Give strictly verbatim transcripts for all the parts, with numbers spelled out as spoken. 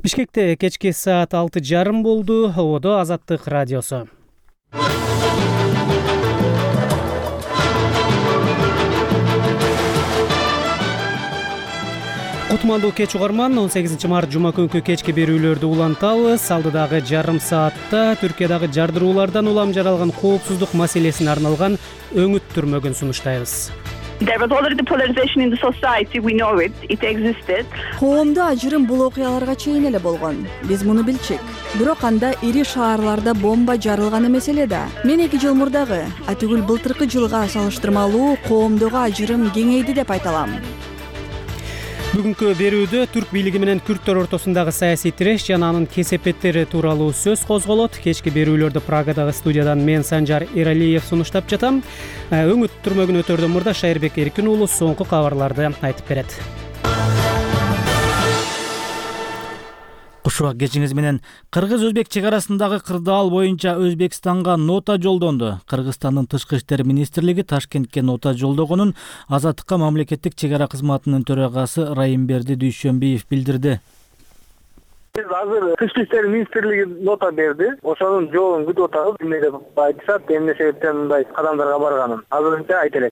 Бишкекте кечки саат алты жарым болду. Ободо Азаттык радиосу. Кутмандуу кеч угарман, он сегизинчи март жума күнкү кечки берүүлөрдү улантабыз. Алдыдагы жарым саатта Түркиядагы жардыруулардан улам жаралган коопсуздук маселесине арналган өңүт түрмөгүн сунуштайбыз. There was already polarization in the society, we know it, it existed. Коомдо ажырым бул окуяларга чейин эле болгон. Биз муну билчек. Бирок анда ири шаарларда бомба жарылган эмес эле да. Мен эки жыл мурдагы, атүгүл былтыркы жылга салыштырмалуу коомдогу ажырым кеңейди деп айта алам. Бүгүнкү берүүдө түрк бийлиги менен күрттөр ортосундагы саясий тиреш жана анын кесепеттери тууралуу сөз козголот. Кечки берүүлөрдү Прагадагы студиядан мен Санжар Эралиев сунуштап жатам. Өңүт түрмөгүн өтөрдөн мурда Шайырбек Эркин уулу соңку кабарларды айтып берет. Кушубак кечиңиз менен. Кыргыз-өзбек чек арасындагы кырдаал боюнча Өзбекстанга нота жолдонду. Кыргызстандын тышкы иштер министрлиги Ташкентке нота жолдогонун Азаттыкка мамлекеттик чек ара кызматынын төрагасы Райымберди Дүйшөнбиев билдирди. Биз азыр тышкы иштер министрлиги нота берди. Ошонун жообун күтүп атабыз. Эмне деп айтышат, эмне себептен мындай кадамдарга барганын азырынча айта элек.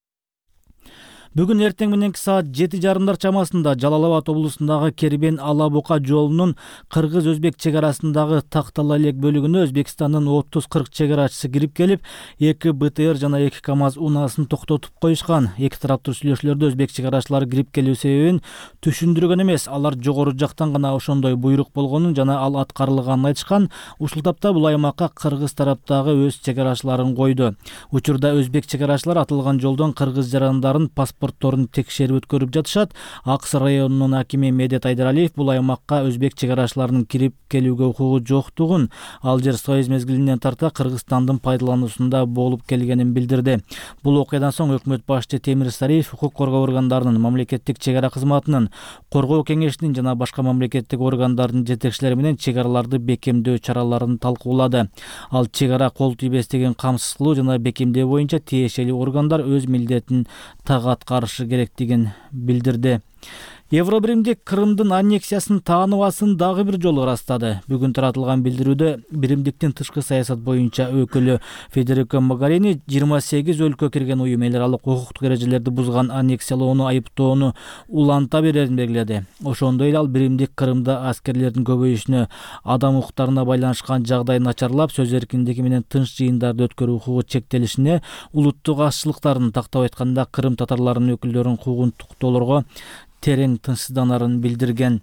Бүгүн эртең мененки саат жети жарымдар чамасында Жалал Абад облусундагы Кербен Ала Бука жолунун кыргыз-өзбек чек арасындагы Тактала элек бөлүгүнө Өзбекстандын отуз кырк чек арачысы кирип келип, эки бэ тэ эр жана эки КАМАЗ унаасын токтотуп коюшкан. Эки тараптуу сүйлөшүүлөрдө өзбек чек арачылары кирип келүү себебин түшүндүргөн эмес, алар жогору жактан гана ошондой буйрук болгонун жана ал аткарылганын айтышкан. Ушул тапта бул аймакка кыргыз тараптагы өз чек арачыларын койду. Учурда өзбек чек арачылары атылган жолдон кыргыз жарандарын паспортторун текшерип өткөрүп жатышат. Аксы районунун акими Медет Айдаралиев бул аймакка өзбек чек арачыларынын кирип келүүгө укугу жоктугун, ал жер союз мезгилинен тарта Кыргызстандын пайдалануусунда болуп келгенин билдирди. Бул окуядан соң өкмөт башчы Темир Сариев укук коргоо органдарынын, мамлекеттик чек ара кызматынын, коргоо кеңешинин жана башка мамлекеттик органдардын жетекчилери менен чек араларды бекемдөө чараларын талкуулады. Ал чек ара кол тийбестигин камсыз кылуу жана бекемдөө боюнча тиешелүү органдар өз милдетин так аткарышы керектигин билдирди. Евробиримдик Крымдын аннексиясын тааныбасын дагы бир жолу ырастады. Бүгүн таратылган билдирүүдө биримдиктин тышкы саясат боюнча өкүлү Федерико Могарини жыйырма сегиз өлкө кирген уюм эл аралык укуктук эрежелерди бузган аннексиялоону айыптоону уланта берерин белгиледи. Ошондой эле ал биримдик Крымда аскерлердин көбөйүшүнө, адам укуктарына байланышкан жагдай начарлап, сөз эркиндиги менен тынч жыйындарды өткөрүү укугу чектелишине, улуттук азчылыктарын тактап айтканда Крым татарларынын өкүлдөрүнүн укугун токтоолорго терең тынчсызданарын билдирген.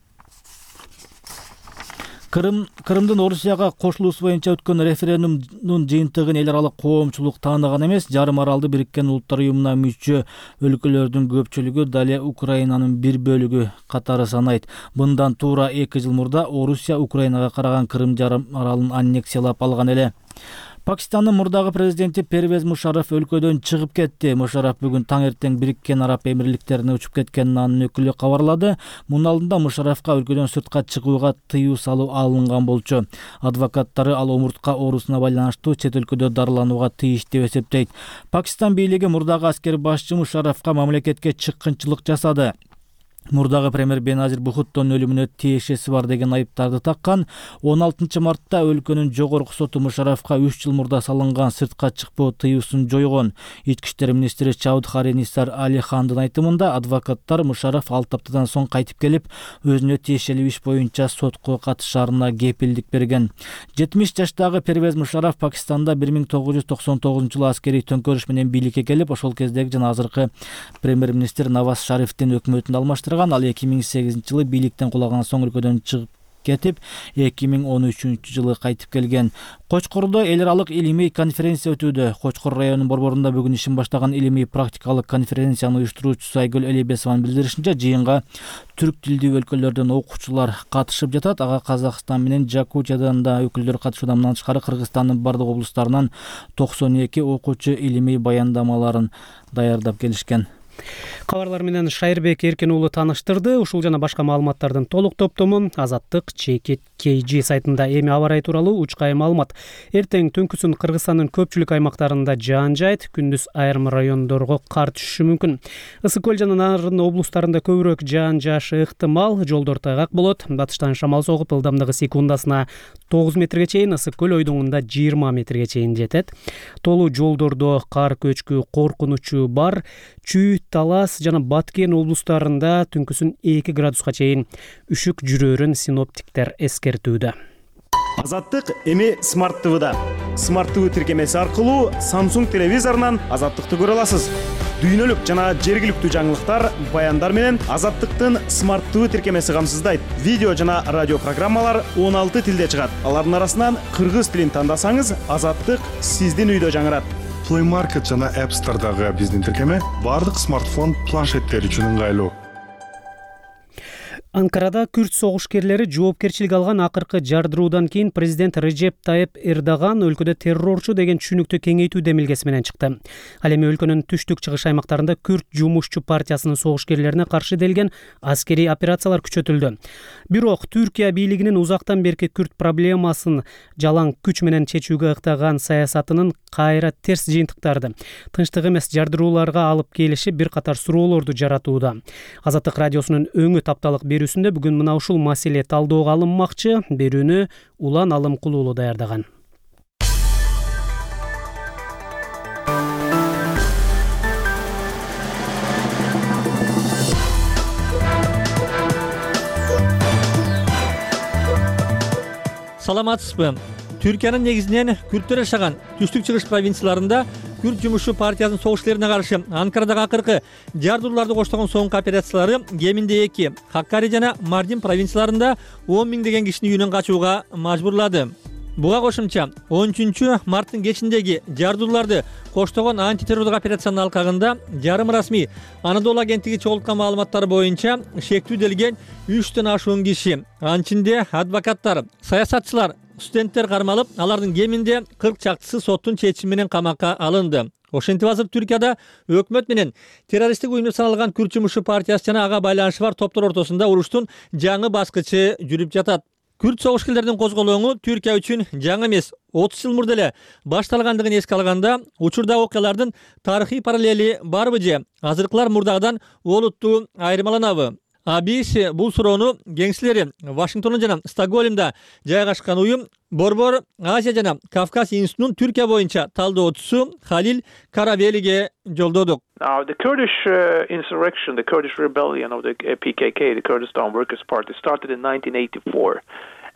Крым Крымдын Орусияга кошулуусу боюнча өткөн референдумдун жыйынтыгын эл аралык коомчулук тааныган эмес. Жарым аралды Бириккен Улуттар уюмуна мүчө өлкөлөрдүн көпчүлүгү дале Украинанын бир бөлүгү катары санайт. Мындан туура эки жыл мурда Орусия Украинага караган Крым жарым аралын аннексиялап алган эле. Пакистандын мурдагы президенти Первез Мушарраф өлкөдөн чыгып кетти. Мушарраф бүгүн таң эртең Бириккен Араб Эмирликтерине учуп кеткенин анын өкүлү кабарлады. Мунун алдында Мушаррафка өлкөдөн сыртка чыгууга тыюу салуу алынган болчу. Адвокаттары ал омуртка оорусуна байланыштуу чет өлкөдө дарыланууга тийиш деп эсептейт. Пакистан бийлиги мурдагы аскер башчы Мушаррафка мамлекетке чыккынчылык жасады. Мурдагы премьер Беназир Бухуттонун өлүмүнө тиешеси бар деген айыптарды таккан. он алтынчы мартта өлкөнүн жогорку соту Мушаррафка үч жыл мурда салынган сыртка чыкпоо тыюусун жойгон. Ички иштер министри Чаудхари Нисар Алихандын айтымында адвокаттар Мушарраф алты аптадан соң кайтып келип, өзүнө тиешелүү иш боюнча сотко катышаарына кепилдик берген. жетимиш жаштагы Первез Мушарраф Пакистанда бир миң тогуз жүз токсон тогузунчу жылы аскерий төңкөрүш менен бийликке келип, ошол кездеги жана азыркы премьер министр Наваз Шарифтин өкмөтүн алмаштырган. Ал эки миң сегизинчи жылы бийликтен кулаган соң өлкөдөн чыгып кетип, эки миң он үчүнчү жылы кайтып келген. Кочкордо эл аралык илимий конференция өтүүдө. Кочкор районунун борборунда бүгүн ишин баштаган илимий практикалык конференциянын уюштуруучусу Айгүл Элебесованын билдиришинче, жыйынга түрк тилдүү өлкөлөрдөн окуучулар катышып жатат. Ага Казакстан менен Жакутиядан да өкүлдөр катышууда. Мындан тышкары Кыргызстандын бардык облустарынан токсон эки окуучу илимий баяндамаларын даярдап келишкен. Кабарлар менен Шайырбек Эркин уулу тааныштырды. Ушул жана башка маалыматтардын толук топтомун Азаттык чекит кей жи сайтында. Эми аба ырайы тууралуу учкай маалымат. Эртең түнкүсүн Кыргызстандын көпчүлүк аймактарында жаан жаайт, күндүз айрым райондорго кар түшүшү мүмкүн. Ысык көл жана Нарын облустарында көбүрөөк жаан жаашы ыктымал, жолдор тайгак болот. Батыштан шамал согуп, ылдамдыгы секундасына тогуз метрге чейин, ысык көл ойдоңунда жыйырма метрге чейин жетет. Толуу жолдордо кар көчкү коркунучу бар. Чүй, Талас жана Баткен облустарында түнкүсүн эки градуска чейин үшүк жүрөрүн синоптиктер эскертүүдө. Азаттык эми Smart ти вида. Smart ти ви тиркемеси аркылуу Samsung телевизорунан Азаттыкты көрө аласыз. Дүйнөлүк жана жергиликтүү жаңылыктар, баяндар менен Азаттыктын Smart ти ви тиркемеси камсыздайт. Видео жана радио программалар он алты тилде чыгат. Алардын арасынан кыргыз тилин тандасаңыз, Азаттык сиздин үйдө жаңырат. Play Market жана App Store'дагы биздин тиркеме бардык смартфон планшеттер үчүн ыңгайлуу. Анкарада күрд согушкерлери жоопкерчилик алган акыркы жардыруудан кийин президент Режеп Тайып Эрдоган өлкөдө террорчу деген түшүнүктү кеңейтүү демилгеси менен чыкты. Ал эми өлкөнүн түштүк чыгыш аймактарында күрд жумушчу партиясынын согушкерлерине каршы делген аскерий операциялар күчөтүлдү. Бирок Түркия бийлигинин узактан берки күрд проблемасын жалаң күч менен чечүүгө ыктаган саясатынын кайра терс жыйынтыктарды, тынчтык эмес жардырууларга алып келиши бир катар суроолорду жаратууда. Азаттык радиосунун өңү тапталык берүүсүндө бүгүн мына ушул маселе талдоого алынмакчы. Берүүнү Улан Алымкул уулу даярдаган. Саламатсызбы? Түркиянын негизинен күрттөр жашаган түштүк чыгыш провинцияларында күрд жумушчу партиясынын согушкерлерине каршы Анкарадагы акыркы жардырууларды коштогон соңку операциялары кеминде эки, Хаккари жана Мардин провинцияларында он миңдеген кишини үйүнөн качууга мажбурлады. Буга кошумча он үчүнчү марттын кечиндеги жардырууларды коштогон антитеррорлук операциянын алкагында жарым расмий Анадолу агенттиги чогулткан маалыматтар боюнча шектүүделген үчтөн ашуун киши, анчинде адвокаттар, саясатчылар, студенттер кармалып, алардын кеминде кырк чактысы соттун чечими менен камакка алынды. Ошентип азыр Түркияда өкмөт менен террористтик уюм деп саналган күрд жумушчу партиясы жана ага байланышы бар топтор ортосунда уруштун жаңы баскычы жүрүп жатат. Күрд согушкерлердин козголоңу Түркия үчүн жаңы эмес, отуз жыл мурда эле башталгандыгын эске алганда, учурдагы окуялардын тарыхый параллели барбы же азыркылар мурдагыдан олуттуу айырмаланабы? А би си бул суроону кеңселери Вашингтондо жана Стокгольмда жайгашкан уюм Борбор Азия жана Кавказ институтунун Түркия боюнча талдоочусу Халил Карабелиге жолдодук. Now, the Kurdish uh, insurrection, the Kurdish rebellion of the uh, P K K, the Kurdistan Workers' Party, started in nineteen eighty-four.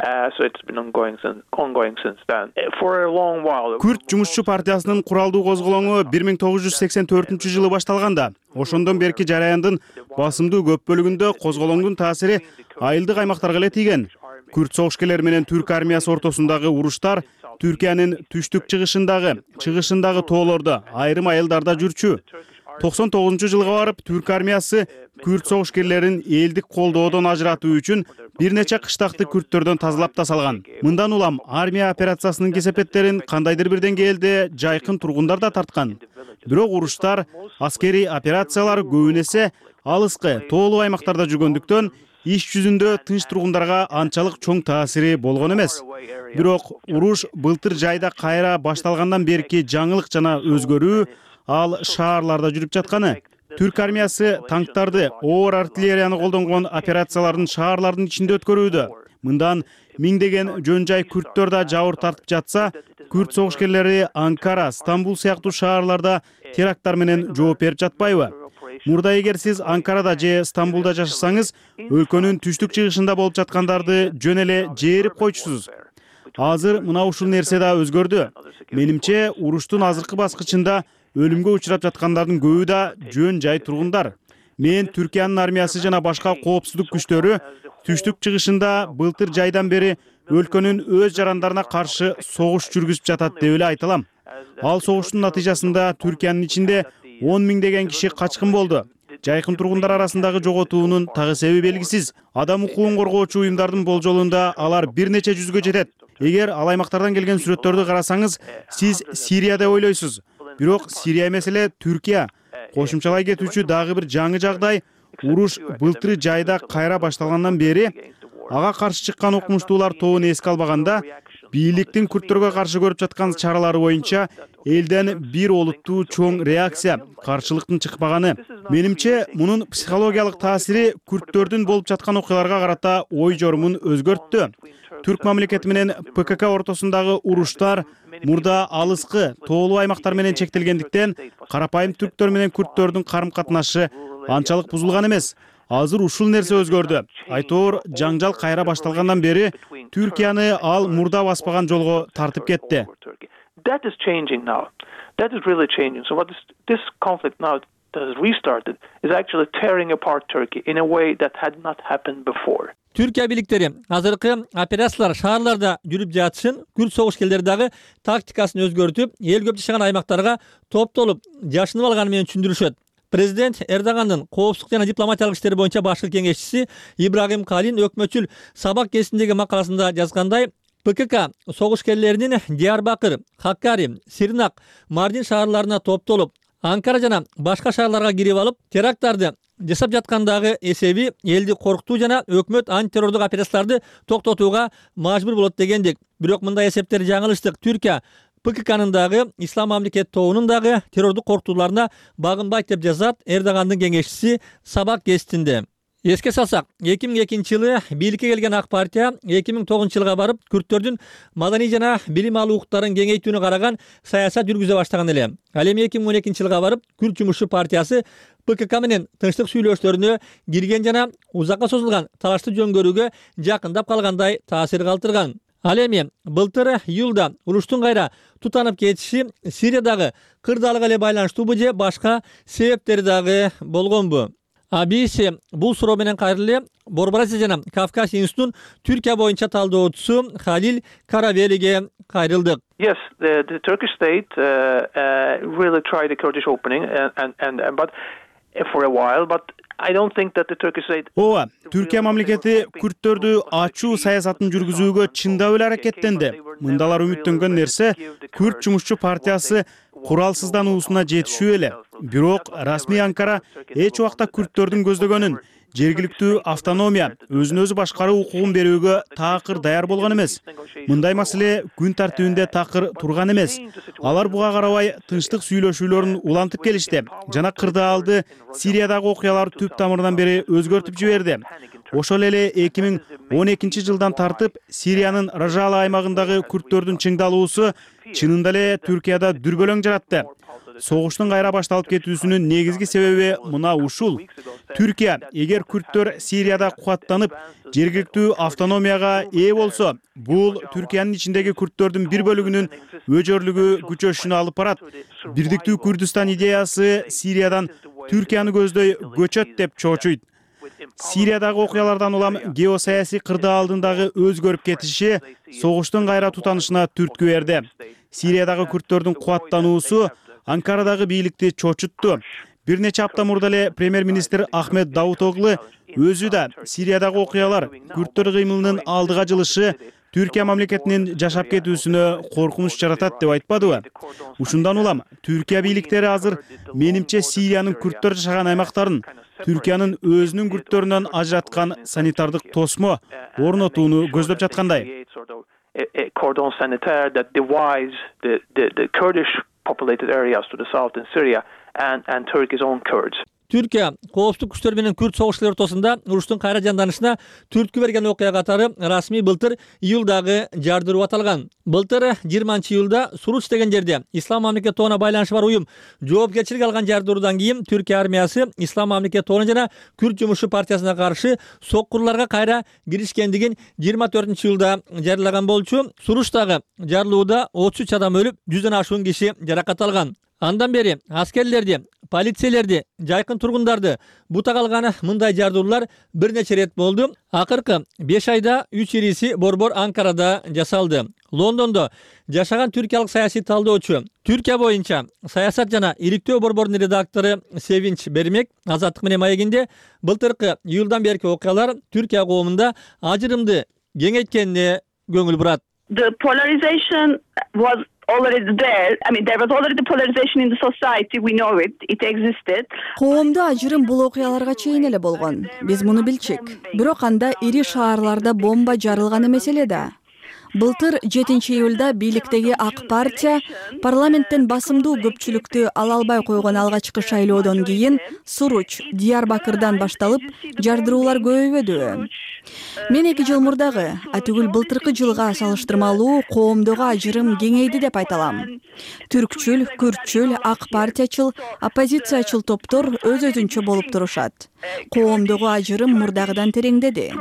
Uh, so it's been ongoing since, ongoing since then. Uh, for a long while. Күрд жумушчу партиясынын куралдуу козголоңу бир миң тогуз жүз сексен төртүнчү жылы башталганда, ошондон берки жараяндын басымдуу көп бөлүгүндө козголоңдун таасири айылдык аймактарга эле тийген. Күрд согушкерлери менен түрк армиясы ортосундагы уруштар Түркиянын түштүк чыгышындагы, чыгышындагы тоолордо, айрым айылдарда жүрчү. токсон тогузунчу жылга барып, түрк армиясы күрд согушкерлерин элдик колдоодон ажыратуу үчүн бир нече кыштакты күрттөрдөн тазалап да салган. Мындан улам армия операциясынын кесепеттерин кандайдыр бир деңгээлде жайкын тургундар да тарткан. Бирок уруштар, аскерий операциялар көбүн эсе алыскы, тоолуу аймактарда жүргөндүктөн иш жүзүндө тынч тургундарга анчалык чоң таасири болгон эмес. Бирок уруш былтыр жайда кайра башталгандан берки жаңылык жана өзгөрүү ал шаарларда жүрүп жатканы. Түрк армиясы танктарды, оор артиллерияны колдонгон операциялардын шаарлардын ичинде өткөрүүдө. Мындан миңдеген жөн жай күрттөр да жабыр тартып жатса, күрд согушкерлери Анкара, Стамбул сыяктуу шаарларда теракттар менен жооп берип жатпайбы? Мурда эгер сиз Анкарада же Стамбулда жашасаңыз, өлкөнүн түштүк чыгышында болуп жаткандарды жөн эле жээрип койчусуз. Азыр мына ушул нерсе да өзгөрдү. Менимче, уруштун азыркы баскычында өлүмгө учурап жаткандардын көбү да жөн жай тургундар. Мен Түркиянын армиясы жана башка коопсуздук күчтөрү түштүк чыгышында былтыр жайдан бери өлкөнүн өз жарандарына каршы согуш жүргүзүп жатат деп эле айта алам. Ал согуштун натыйжасында Түркиянын ичинде он миңдеген киши качкын болду. Жайкын тургундар арасындагы жоготуунун тагы себеби белгисиз. Адам укугун коргоочу уюмдардын болжолунда алар бир нече жүзгө жетет. Эгер ал аймактардан келген сүрөттөрдү карасаңыз, сиз Сирия деп ойлойсуз. Бирок Сирия эмес эле Түркия. Кошумчалай кетүүчү дагы бир жаңы жагдай, уруш былтыр жайда кайра башталгандан бери ага каршы чыккан окумуштуулар тобун эске албаганда, бийликтин күрттөргө каршы көрүп жаткан чаралары боюнча элден бир олуттуу чоң реакция, каршылыктын чыкпаганы. Менимче, мунун психологиялык таасири күрттөрдүн болуп жаткан окуяларга карата ой жорумун өзгөрттү. Түрк мамлекети менен ПКК ортосундагы уруштар мурда алыскы, тоолуу аймактар менен чектелгендиктен, карапайым түрктөр менен күрттөрдүн карым-катнашы анчалык бузулган эмес. Азыр ушул нерсе өзгөрдү. Айтоор, жаңжал кайра башталгандан бери Түркияны ал мурда баспаган жолго тартып кетти. That is changing now. That is really changing. So what this, this conflict now that has restarted is actually tearing apart Turkey in a way that had not happened before. Türkiye бийликтери азыркы операциялар шаарларда жүрүп жатышын, күрт согушкерлери дагы тактикасын өзгөртүп, эл көп жашаган аймактарга топтолуп жашынып алганы менен түшүндүрүшөт. Президент Эрдогандын коопсуздук жана дипломатиялык иштер боюнча башкы кеңешчиси Ибрагим Калин өкмөтчүл сабак кезиндеги макаласында жазгандай, ПКК согушкерлеринин Диярбакыр, Хаккари, Сирнак, Мардин шаарларына топтолуп, Анкара жана башка шаарларга кирип алып, теракттарды жасап жаткандагы эсеби элди коркутуу жана өкмөт антитеррордук операцияларды токтотууга мажбур болот дегендик. Бирок мындай эсептер жаңылыштык. Түркия ПККнын дагы, Ислам мамлекет тобунун дагы террордук коркутууларына багынбайт деп жазат Эрдогандын кеңешчиси Сабак гезитинде. Эске салсак, эки миң экинчи жылы бийликке келген ак партия эки миң тогузунчу жылга барып, күрттөрдүн маданий жана билим алуу укуктарын кеңейтүүнү караган саясат жүргүзө баштаган эле. Ал эми эки миң он экинчи жылга барып, Күрт жумушчу партиясы ПКК менен тынчтык сүйлөшүүлөрүнө кирген жана узакка созулган талашты жөнгөрүүгө жакындап калгандай таасир калтырган. Ал эми былтыр июлда уруштун кайра тутанып кетиши Сириядагы кырдаалык эле байланыштуубу же башка себептери дагы болгонбу? А би би си бул суроо менен кайрылы Борбор Азия жана Кавказ институтунун Түркия боюнча талдоочусу Халил Каравелиге кайрылдык. Yes, the, the Turkish state uh, uh, really tried the Kurdish opening and, and, and but for a while, but I don't think that the Turkish state... Ооба, Түркия мамлекети күрттөрдү ачуу саясатын жүргүзүүгө чындап эле аракеттенди. Мындалар үмүттөнгөн нерсе Күрт жумушчу партиясы куралсыздануусуна жетишүү эле. Бирок расмий Анкара эч убакта күрттөрдүн көздөгөнүн жергиликтүү автономия, өзүн өзү башкаруу укугун берүүгө такыр даяр болгон эмес. Мындай маселе күн тартибинде такыр турган эмес. Алар буга карабай тынчтык сүйлөшүүлөрүн улантып келишти жана кырдаалды Сириядагы окуялар түп тамырынан бери өзгөртүп жиберди. Ошол эле эки миң он экинчи жылдан тартып Сириянын Ражала аймагындагы күрттөрдүн чыңдалуусу чынында эле Түркияда дүрбөлөң жаратты. Согуштун кайра башталып кетүүсүнүн негизги себеби мына ушул. Түркия эгер күрттөр Сирияда кубаттанып, жергиликтүү автономияга ээ болсо, бул Түркиянын ичиндеги күрттөрдүн бир бөлүгүнүн өжөрлүгү күчөшүнө алып барат. Бирдиктүү Күрдүстан идеясы Сириядан Түркияны көздөй көчөт деп чоочуйт. Сириядагы окуялардан улам геосаясий кырдаалдындагы өзгөрүп кетиши согуштун кайра тутанышына түрткү берди. Сириядагы күрттөрдүн кубаттануусу Анкарадагы бийликти чочутту. Бир нече апта мурда эле премьер-министр Ахмед Давутоглу өзү да Сириядагы окуялар күрттөр кыймылынын алдыга жылышы Түркия мамлекетинин жашап кетүүсүнө коркунуч жаратат деп айтпадыбы? Ушундан улам Түркия бийликтери азыр менимче Сириянын күрттөр жашаган аймактарын Түркиянын өзүнүн күрттөрүнөн ажыраткан санитардык тосмо орнотууну көздөп жаткандай. A cordon sanitaire that divides the, the, the Kurdish populated areas to the south in Syria and, and Turkey's own Kurds. Түркия коопсуздук күчтөр менен күрт согушчулар ортосунда уруштун кайра жанданышына түрткү берген окуя катары расмий былтыр июлдагы жардыруу аталган. Былтыр жыйырманчы июлда Суруч деген жерде Ислам мамлекет тобуна байланышы бар уюм жоопкерчилик алган жардыруудан кийин Түркия армиясы Ислам мамлекет тобуна жана Күрт жумушчу партиясына каршы соккурларга кайра киришкендигин жыйырма төртүнчү июлда жарыялаган болчу. Суручтагы жарылууда отуз үч адам өлүп, жүздөн ашуун киши жаракат алган. Андан бери аскерлерди, полициялерди, жайкын тургундарды бута калган мындай жардыруулар бир нече ирет болду. Акыркы беш айда үч ириси борбор Анкарада жасалды. Лондондо жашаган түркиялык саясий талдоочу, Түркия боюнча саясат жана иликтөө борборунун редактору Севинч Бермек Азаттык менен маегинде былтыркы июлдан берки окуялар Түркия коомунда ажырымды кеңейткенине көңүл бурат. The polarization was already there. I mean, there was already polarization in the society. We know it. It existed. Коомдо ажырым бул окуяларга чейин эле болгон. Биз муну билчек. Бирок анда ири шаарларда бомба жарылган эмес эле да. Былтыр жетинчи июлда бийликтеги ак партия парламенттен басымдуу көпчүлүктү ала албай койгон алгачкы шайлоодон кийин Суруч, Диярбакырдан башталып жардыруулар көбөйбөдүбү. Мен эки жыл мурдагы, атүгүл былтыркы жылга салыштырмалуу коомдогу ажырым кеңейди деп айта алам. Түркчүл, күртчүл, ак партиячыл, оппозициячыл топтор өз-өзүнчө болуп турушат. Коомдогу ажырым мурдагыдан тереңдеди.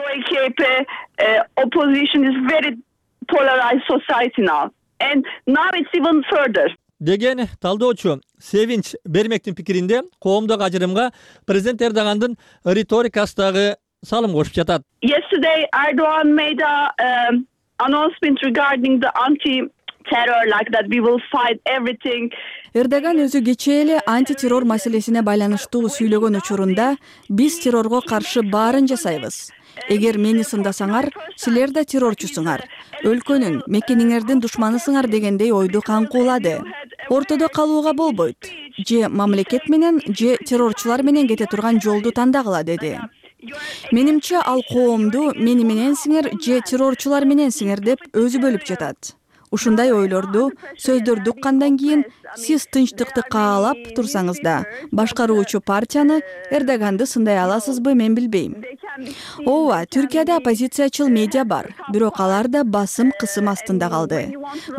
Opposition is very polarized society now, and now it's even further. Деген талдоочу Севинч Бермектин пикиринде коомдогу ажырымга президент Эрдогандын риторикасындагы салым кошуп жатат. Yesterday, Erdogan made a um, announcement regarding the anti-terror, like that we will fight everything. Эрдоган өзү кечээ эле антитеррор маселесине байланыштуу сүйлөгөн учурунда биз террорго каршы баарын жасайбыз. Эгер мени сындасаңар, силер да террорчусуңар. Өлкөнүн, мекениңердин душманысыңар дегендей ойду каңкуулады. Ортодо калууга болбойт. Же мамлекет менен, же террорчулар менен кете турган жолду тандагыла деди. Менимче ал коомду мени мененсиңер же террорчулар мененсиңер деп өзү бөлүп жатат. Ушундай ойлорду, сөздөрдү уккандан кийин сиз тынчтыкты каалап турсаңыз да, башкаруучу партияны, Эрдоганды сындай аласызбы, мен билбейм. Ооба, Түркияда оппозициячыл медиа бар, бирок алар да басым кысым астында калды.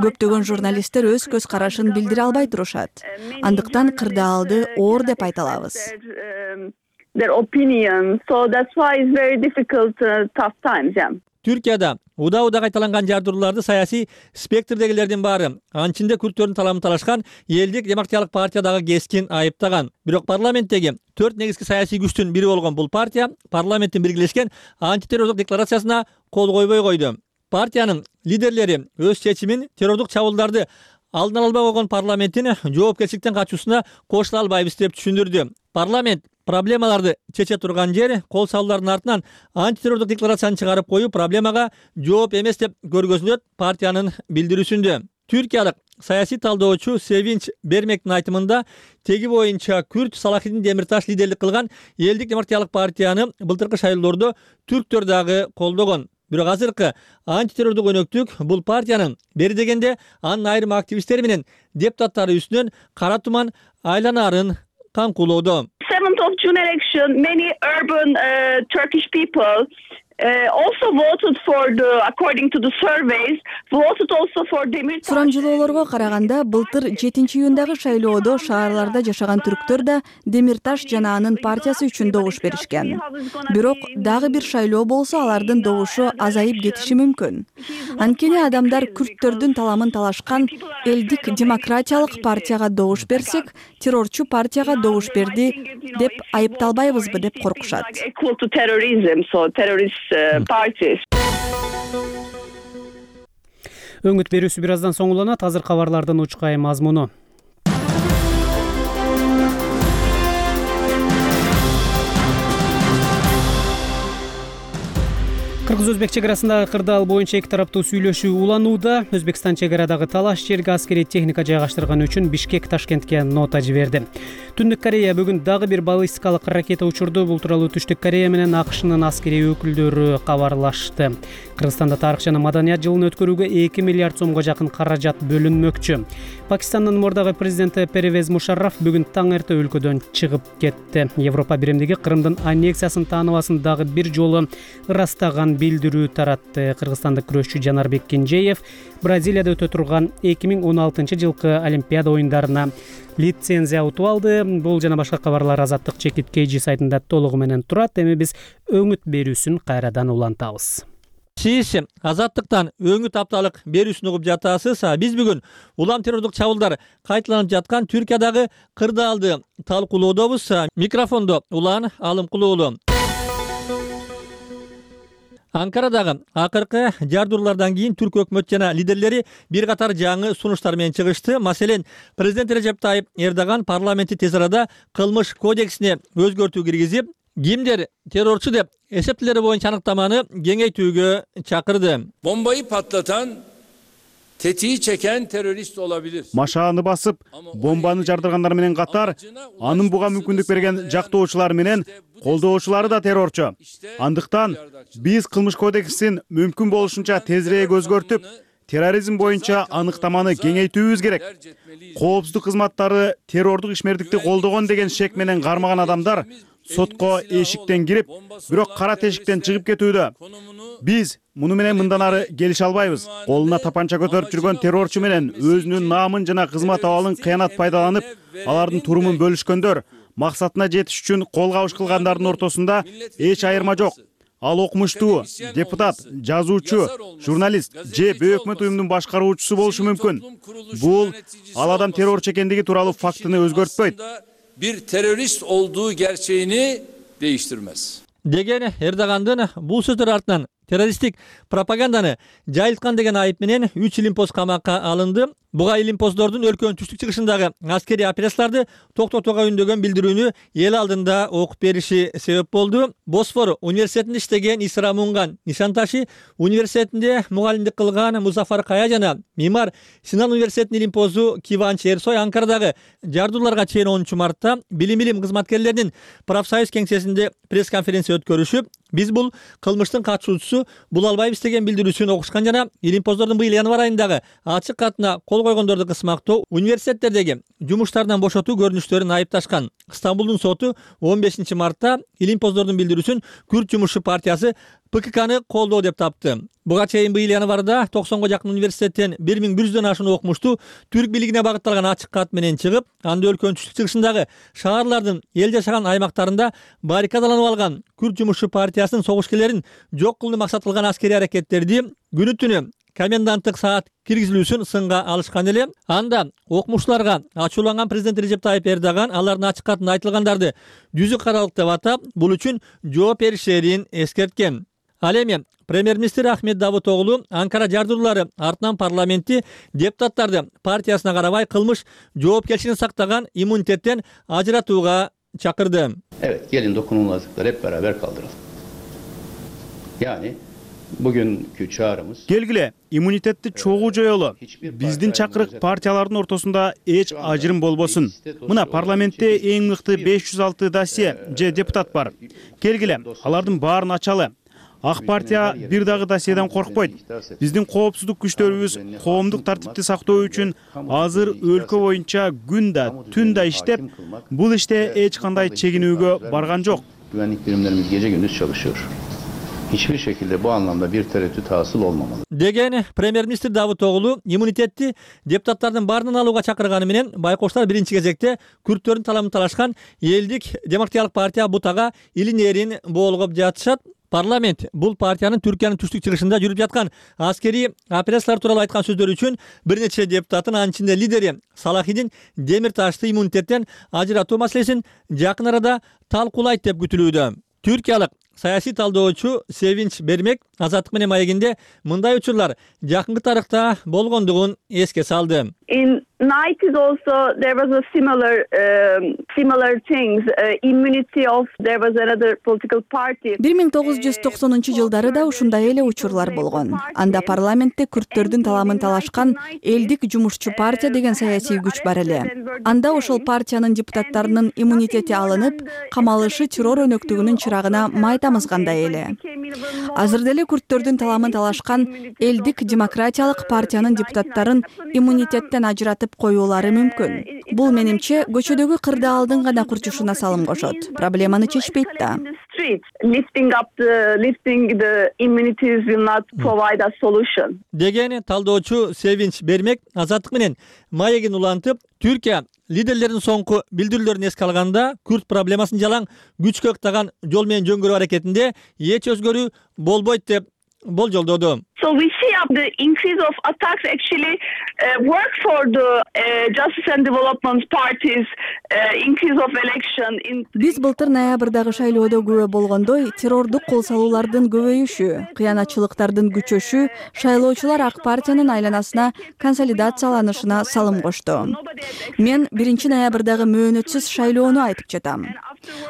Көптөгөн журналисттер өз көз карашын билдире албай турушат. Андыктан кырдаалды оор деп айта алабыз. Their opinion, so that's why it's very difficult, uh, tough times, yeah. Түркияда уда-уда кайталанган жардырууларды саясий спектрдегилердин баары анчинде күрттөрдүн таламын талашкан Элдик демократиялык партиядагы кескин айыптаган. Бирок парламенттеги төрт негизги саясий күчтүн бири болгон бул партия парламенттин биргелешкен антитеррордук декларациясына кол койбой койду. Партиянын лидерлери өз чечимин террордук чабуулдарды алдын ала албай койгон парламенттин жоопкерчиликтен качуусуна кошула албайбыз деп түшүндүрдү. Парламент проблемаларды чече турган жер кол салуулардын артынан антитеррордук декларацияны чыгарып коюу проблемага жооп эмес деп көргөзүлөт партиянын билдирүүсүндө. Түркиялык саясий талдоочу Севинч Бермектин айтымында теги боюнча Күрт Салахидин Демирташ лидерлик кылган Элдик демократиялык партияны былтыркы шайлоолордо түрктөр дагы колдогон. Бирок азыркы антитеррордук өнөктүк бул партиянын бери дегенде анын айрым активисттери менен депутаттары үстүнөн кара туман айланаарын каңкуулоодо. seventh of June election, many urban uh, Turkish people uh, also voted for the, according to the surveys, voted also for Demirtaş. Сурамжылоолорго караганда былтыр жетинчи июндагы шайлоодо шаарларда жашаган түрктөр да Демирташ жана анын партиясы үчүн добуш беришкен. Бирок дагы бир шайлоо болсо алардын добушу азайып кетиши мүмкүн. Анткени адамдар күрттөрдүн таламын талашкан Элдик демократиялык партияга добуш берсек, террорчу партияга добуш берди деп айыпталбайбызбы деп коркушат. Equal to terrorism, so terrorist uh, parties. Өңүт берүүсү бир аздан соң уланат. Азыр кабарлардын учкай мазмуну. Кыргыз-Өзбек чек арасындагы кырдаал боюнча эки тараптуу сүйлөшүү уланууда. Өзбекстан чек арадагы талаш жерге аскерий техника жайгаштырган үчүн Бишкек Ташкентке нота жиберди. Түндүк Корея бүгүн дагы бир баллистикалык ракета учурду. Бул тууралуу Түштүк Корея менен АКШнын аскерий өкүлдөрү кабарлашты. Кыргызстанда тарых жана маданият жылын өткөрүүгө эки миллиард сомго жакын каражат бөлүнмөкчү. Пакистандын мурдагы президенти Первез Мушарраф бүгүн таң эрте өлкөдөн чыгып кетти. Европа биримдиги Кырымдын аннексиясын тааныбасын дагы бир жолу ырастаган билдирүү таратты. Кыргызстандык күрөшчү Жанарбек Кенжеев Бразилияда өтө турган эки миң он алтынчы жылкы Олимпиада оюндарына лицензия утуп алды. Бул жана башка кабарлар Азаттык Чекит Кейжи сайтында толугу менен турат. Эми биз өңүт берүүсүн кайрадан улантабыз. Сиз Азаттыктан өңүт апталык берүүсүн угуп жатасыз. Биз бүгүн улам террордук чабуулдар кайталанып жаткан Түркиядагы кырдаалды талкуулоодобуз. Микрофондо Улан Алымкулуулу. Анкарадагы акыркы жардыруулардан кийин түрк өкмөт жана лидерлери бир катар жаңы сунуштар менен чыгышты. Маселен, президент Режеп Тайып Эрдоган парламентти тез арада кылмыш кодексине өзгөртүү киргизип, кимдер террорчу деп эсептелери боюнча аныктаманы кеңейтүүгө чакырды. Bombayı patlatan tetiği çeken terörist olabilir. Машааны басып, бомбаны жардыргандар менен катар, анын буга мүмкүндүк берген жактоочулар менен колдоочулары да террорчу. Андыктан биз кылмыш кодексин мүмкүн болушунча тезирээк өзгөртүп, терроризм боюнча аныктаманы кеңейтүүбүз керек. Коопсуздук кызматтары террордук ишмердикти колдогон деген шек менен кармаган адамдар сотко эшиктен кирип, бирок кара тешиктен чыгып кетүүдө. Биз муну менен мындан ары келише албайбыз. Колуна тапанча көтөрүп жүргөн террорчу менен өзүнүн наамын жана кызмат абалын кыянат пайдаланып, алардын турумун бөлүшкөндөр, максатына жетиш үчүн кол кабыш кылгандардын ортосунда эч айырма жок. Ал окумуштуу, депутат, жазуучу, журналист же өкмөт уюмунун башкаруучусу болушу мүмкүн. Бул ал адам террорчу экендиги тууралуу фактыны өзгөртпөйт. Bir terörist olduğu gerçeğini değiştirmez. Деген Эрдогандын бул сөздөр артынан террористтик пропаганданы жайылткан деген айып менен үч илимпоз камакка алынды. Буга илимпоздордун өлкөнүн түштүк чыгышындагы аскерий операцияларды токтотууга үндөгөн билдирүүнү эл алдында окуп бериши себеп болду. Босфор университетинде иштеген Исра Мунган Нишанташи университетинде мугалимдик кылган Музафар Кая жана Мимар Синан университетинин илимпозу Киванч Эрсой Анкарадагы жардууларга чейин онунчу мартта билим илим кызматкерлеринин профсоюз кеңсесинде пресс-конференция өткөрүшүп, биз бул кылмыштын катышуучусу бул албайбыз деген билдирүүсүн окушкан жана илимпоздордун быйыл январь айындагы ачык катына кол койгондорду кысмактоо, университеттердеги жумуштардан бошотуу көрүнүштөрүн айыпташкан. Стамбулдун соту он бешинчи мартта илимпоздордун билдирүүсүн Күрд жумушчу партиясы Пэ Ка К'ны колдоо деп тапты. Буга чейин быйыл январда токсонго жакын университеттен бир миң бир жүздөн ашуун окумушту түрк бийлигине багытталган ачык кат менен чыгып, анда өлкөнүн түштүк чыгышындагы шаарлардын эл жашаган аймактарында баррикадаланып алган Күрд жумушчу партиясынын согушкерлерин жок кылууну максат кылган аскерий аракеттерди күнү түнү коменданттык саат киргизилүүсүн сынга алышкан эле. Анда окумуштууларга ачууланган президент Режеп Тайип Эрдоган алардын ачык катында айтылгандарды жүзү каралык деп атап, бул үчүн жооп беришерин эскерткен. Ал эми премьер-министр Ахмет Давутоглу Анкара жардуулары артынан парламентти депутаттарды партиясына карабай кылмыш жоопкерчилигин сактаган иммунитеттен ажыратууга чакырды. Evet, gelin dokunulmazlıkları hep beraber kaldıralım. Yani bugünkü çağrımız келгиле иммунитетти чогуу жоелу. Биздин чакырык партиялардын ортосунда эч ажырым болбосун. Мына парламентте эң мыкты беш жүз алты досье же депутат бар. Келгиле алардын баарын ачалы. Ак партия бир дагы досьеден коркпойт. Биздин коопсуздук күчтөрүбүз коомдук тартипти сактоо үчүн азыр өлкө боюнча күн да түн да иштеп, бул иште эч кандай чегинүүгө барган жок. Güvenlik birimlerimiz gece gündüz çalışıyor. Hiçbir şekilde bu anlamda bir tereddüt hasıl olmamalı. Деген премьер-министр Давутоглу иммунитетти депутаттардын баарынан алууга чакырганы менен байкоштор биринчи кезекте күрттөрдүн таламын талашкан элдик демократиялык партия Бутага илин эрин боолгоп жатышат. Парламент бул партиянын Түркиянын түштүк чыгышында жүрүп жаткан аскерий операциялар тууралуу айткан сөздөрү үчүн бир нече депутаттын, анын ичинде лидери Салахидин Демирташты иммунитеттен ажыратуу маселесин жакын арада талкуулайт деп күтүлүүдө. Түркиялык саясий талдоочу Севинч Бермек Азаттык менен маегинде мындай учурлар жакынкы тарыхта болгондугун эске салды. In nineties also there was a similar um, similar things uh, immunity of there was another political party. бир миң тогуз жүз токсонунчу жылдары да ушундай эле учурлар болгон. Анда парламентте күрттөрдүн таламын талашкан элдик жумушчу партия деген саясий күч бар эле. Анда ошол партиянын депутаттарынын иммунитети алынып, камалышы террор өнөктүгүнүн чырагына май тамызгандай эле. Азыр деле күрттөрдүн таламын талашкан элдик демократиялык партиянын депутаттарын иммунитеттен ажыратып коюулары мүмкүн. Бул менимче көчөдөгү кырды алдын гана курчушуна салым кошот. Проблеманы чечпейт да. Lifting up the lifting the immunities will not provide a solution. Деген талдоочу Севинч Бермек Азаттык менен маегин улантып, Түркия лидерлердин соңку билдирүүлөрүн эске алганда күрт проблемасын жалаң күчкө ыктаган жол менен жөнгөрүү аракетинде эч өзгөрүү болбойт деп болжолдоду. So we see up the increase of attacks actually uh, work for the uh, Justice and Development parties uh, increase of election in. Биз былтыр ноябрдагы шайлоодо күбө болгондой террордук кол салуулардын көбөйүшү, кыянатчылыктардын күчөшү шайлоочулар ак партиянын айланасына консолидацияланышына салым кошту. Мен биринчи ноябрдагы мөөнөтсүз шайлоону айтып жатам.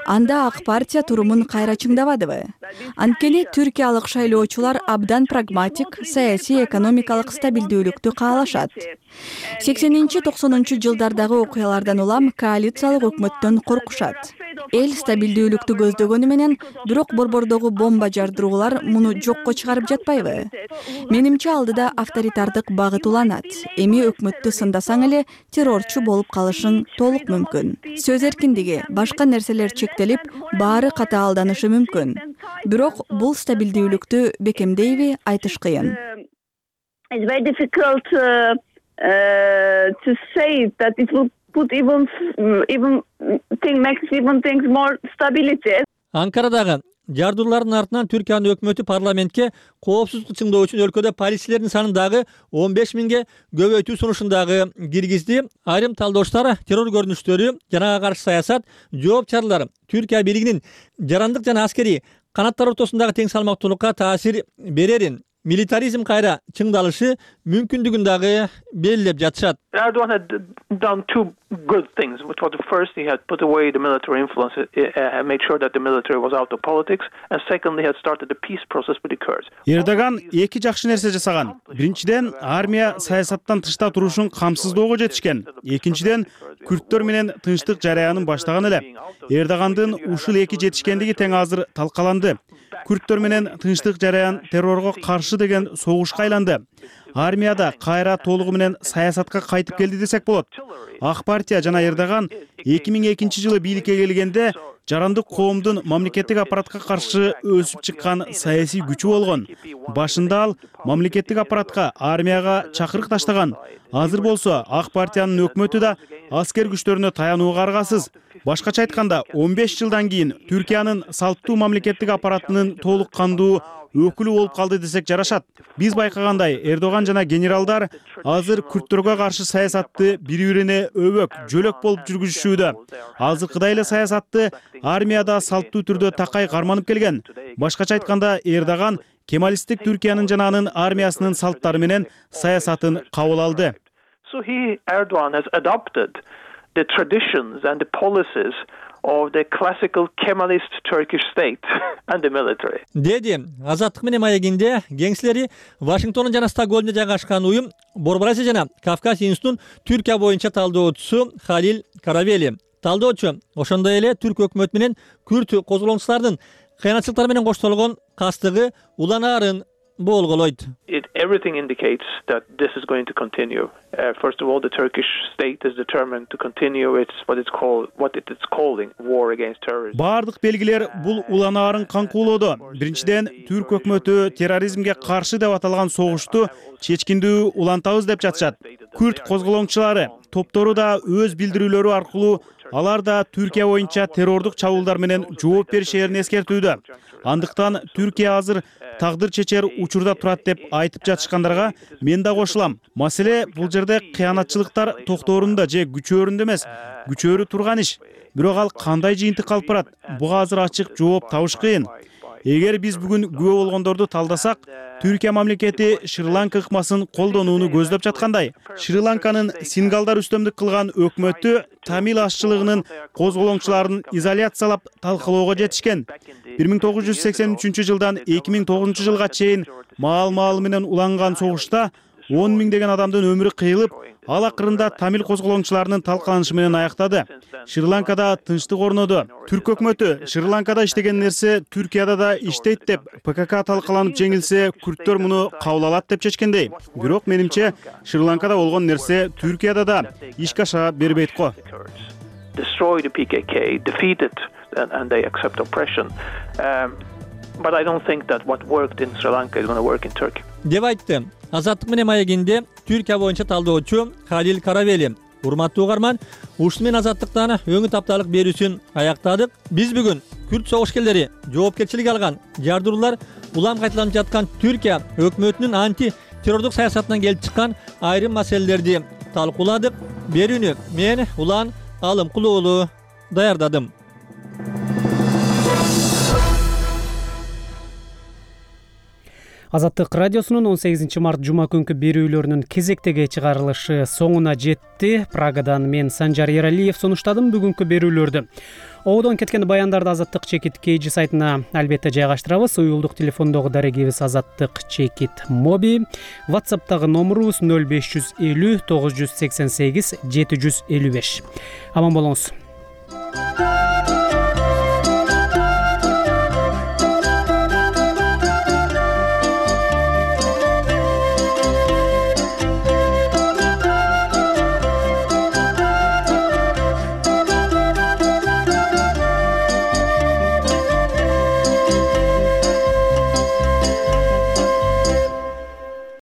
анда ак партия турумун кайра чыңдабадыбы? Анткени түркиялык шайлоочулар абдан прагматик, саясий, экономикалык стабилдүүлүктү каалашат. сексенинчи токсонунчу жылдардагы окуялардан улам коалициялык өкмөттөн коркушат. Эл стабилдүүлүктү көздөгөнү менен, бирок борбордогу бомба жардыруулар муну жокко чыгарып жатпайбы? Менимче алдыда авторитардык багыт уланат. Эми өкмөттү сындасаң эле террорчу болуп калышың толук мүмкүн. Сөз эркиндиги, башка нерселер чектелип, баары катаалданышы мүмкүн. Бирок бул стабилдүүлүктү бекемдейби, айтыш кыйын. It's very difficult uh, uh, to say that it will put even even thing makes even things more stability. Анкарадагы жардырлардын артынан Түркиянын өкмөтү парламентке коопсуздукту чыңдоо үчүн өлкөдө полицейлердин санын дагы он беш миңге көбөйтүү сунушун дагы киргизди. Айрым талдоочулар террор көрүнүштөрү жана ага каршы саясат жооп чаралар Түркия бийлигинин жарандык жана аскерий канаттар ортосундагы тең салмактуулукка таасир берерин, милитаризм кайра чыңдалышы мүмкүндүгүн дагы белгилеп жатышат. Erdogan had done two good things. Which was the first, he had put away the military influence, uh, made sure that the military was out of politics, and secondly, he had started the peace process with the Kurds. Эрдоган эки жакшы нерсе жасаган. Биринчиден, армия саясаттан тышта турушун камсыздоого жетишкен. Экинчиден, күрттөр менен тынчтык жараянын баштаган эле. Эрдогандын ушул эки жетишкендиги тең азыр талкаланды. Күрттөр менен тынчтык жараян террорго каршы деген согушка айланды. Армияда кайра толугу менен саясатка кайтып келди десек болот. Ак партия жана Эрдоган эки миң экинчи жылы бийликке келгенде жарандык коомдун мамлекеттик аппаратка каршы өсүп чыккан саясий күчү болгон. Башында ал мамлекеттик аппаратка, армияга чакырык таштаган. Азыр болсо ак партиянын өкмөтү да аскер күчтөрүнө таянууга аргасыз. Башкача айтканда, он беш жылдан кийин Түркиянын салттуу мамлекеттик аппаратынын толук кандуу өкүлү болуп калды десек жарашат. Биз байкагандай, Эрдоган жана генералдар азыр күрттөргө каршы саясатты бири-бирине өбөк, жөлөк болуп жүргүзүшүүдө. Азыркыдай эле саясатты армияда салттуу түрдө такай карманып келген. Башкача айтканда, Эрдоган кемалисттик Түркиянын жана анын армиясынын салттары менен саясатын кабыл алды. So he, Erdogan, has adopted the traditions and the policies of the classical Kemalist Turkish state and the military. Деди Азаттык менен маегинде кеңсилери Вашингтондун жана Стокгольмдо жайгашкан уюм Борборасия жана Кавказ институтунун Түркия боюнча талдоочусу Халил Каравели. Талдоочу ошондой эле түрк өкмөтү менен күрт козголоңчулардын кыянатчылыктары менен коштолгон кастыгы уланаарын болголойт. It everything indicates that this is going to continue. Uh, first of all, the Turkish state is determined to continue its what it's called what it is calling war against terrorism. Бардык белгилер бул уланаарын канкуулоодо. Биринчиден, түрк өкмөтү терроризмге каршы деп аталган согушту чечкиндүү улантабыз деп жатышат. Күрт козголоңчулары топтору да өз билдирүүлөрү аркылуу алар да Түркия боюнча террордук чабуулдар менен жооп беришерин эскертүүдө. Андыктан Түркия азыр тагдыр чечер учурда турат деп айтып жатышкандарга мен да кошулам. Маселе бул жерде кыянатчылыктар токторунда же күчөрүндө эмес, күчөрү турган иш. Бирок ал кандай жыйынтык алып барат? Буга азыр ачык жооп табыш кыйын. Эгер биз бүгүн күбө болгондорду талдасак, Түркия мамлекети Шри-Ланка ыкмасын колдонууну көздөп жаткандай. Шри-Ланканын сингалдар үстөмдүк кылган өкмөтү тамил ашчылыгынын козголоңчуларын изоляциялап талкалоого жетишкен. бир миң тогуз жүз сексен үчүнчү жылдан эки миң тогузунчу жылга чейин маал-маал менен уланган согушта он миңдеген адамдын өмүрү кыйылып, ал акырында тамил козголоңчуларынын талкаланышы менен аяктады. Шри-Ланкада тынчтык орноду. Түрк өкмөтү Шри-Ланкада иштеген нерсе Түркияда да иштейт деп ПКК талкаланып жеңилсе, күрттөр муну кабыл алат деп чечкендей. Бирок менимче Шри-Ланкада болгон нерсе Түркияда да ишке аша бербейт го. Destroy the P K K, defeat it, and, and they accept oppression. Um, but I don't think that what worked in Sri Lanka is going to work in Turkey. Деп айтты Азаттык менен маегинде Түркия боюнча талдоочу Халил Каравели. Урматтуу угарман, ушуну менен Азаттыктан өңү тапталык берүүсүн аяктадык. Биз бүгүн күрт согушкерлери жоопкерчилик алган жардыруулар улам кайталанып жаткан Түркия өкмөтүнүн анти террордук саясатынан келип чыккан айрым маселелерди талкууладык. Берүүнү мен Улан Алымкул уулу даярдадым. Азаттык радиосунун он сегизинчи март жума күнкү берүүлөрүнүн кезектеги чыгарылышы соңуна жетти. Прагадан мен Санжар Эралиев сунуштадым бүгүнкү берүүлөрдү. ободон кеткен баяндарды азаттык чекит kg сайтына албетте жайгаштырабыз. Уюлдук телефондогу дарегибиз азаттык чекит моби. WhatsApp'тагы номерубуз нөл беш жүз элүү тогуз жүз сексен сегиз жети жүз элүү беш. Аман болуңуз.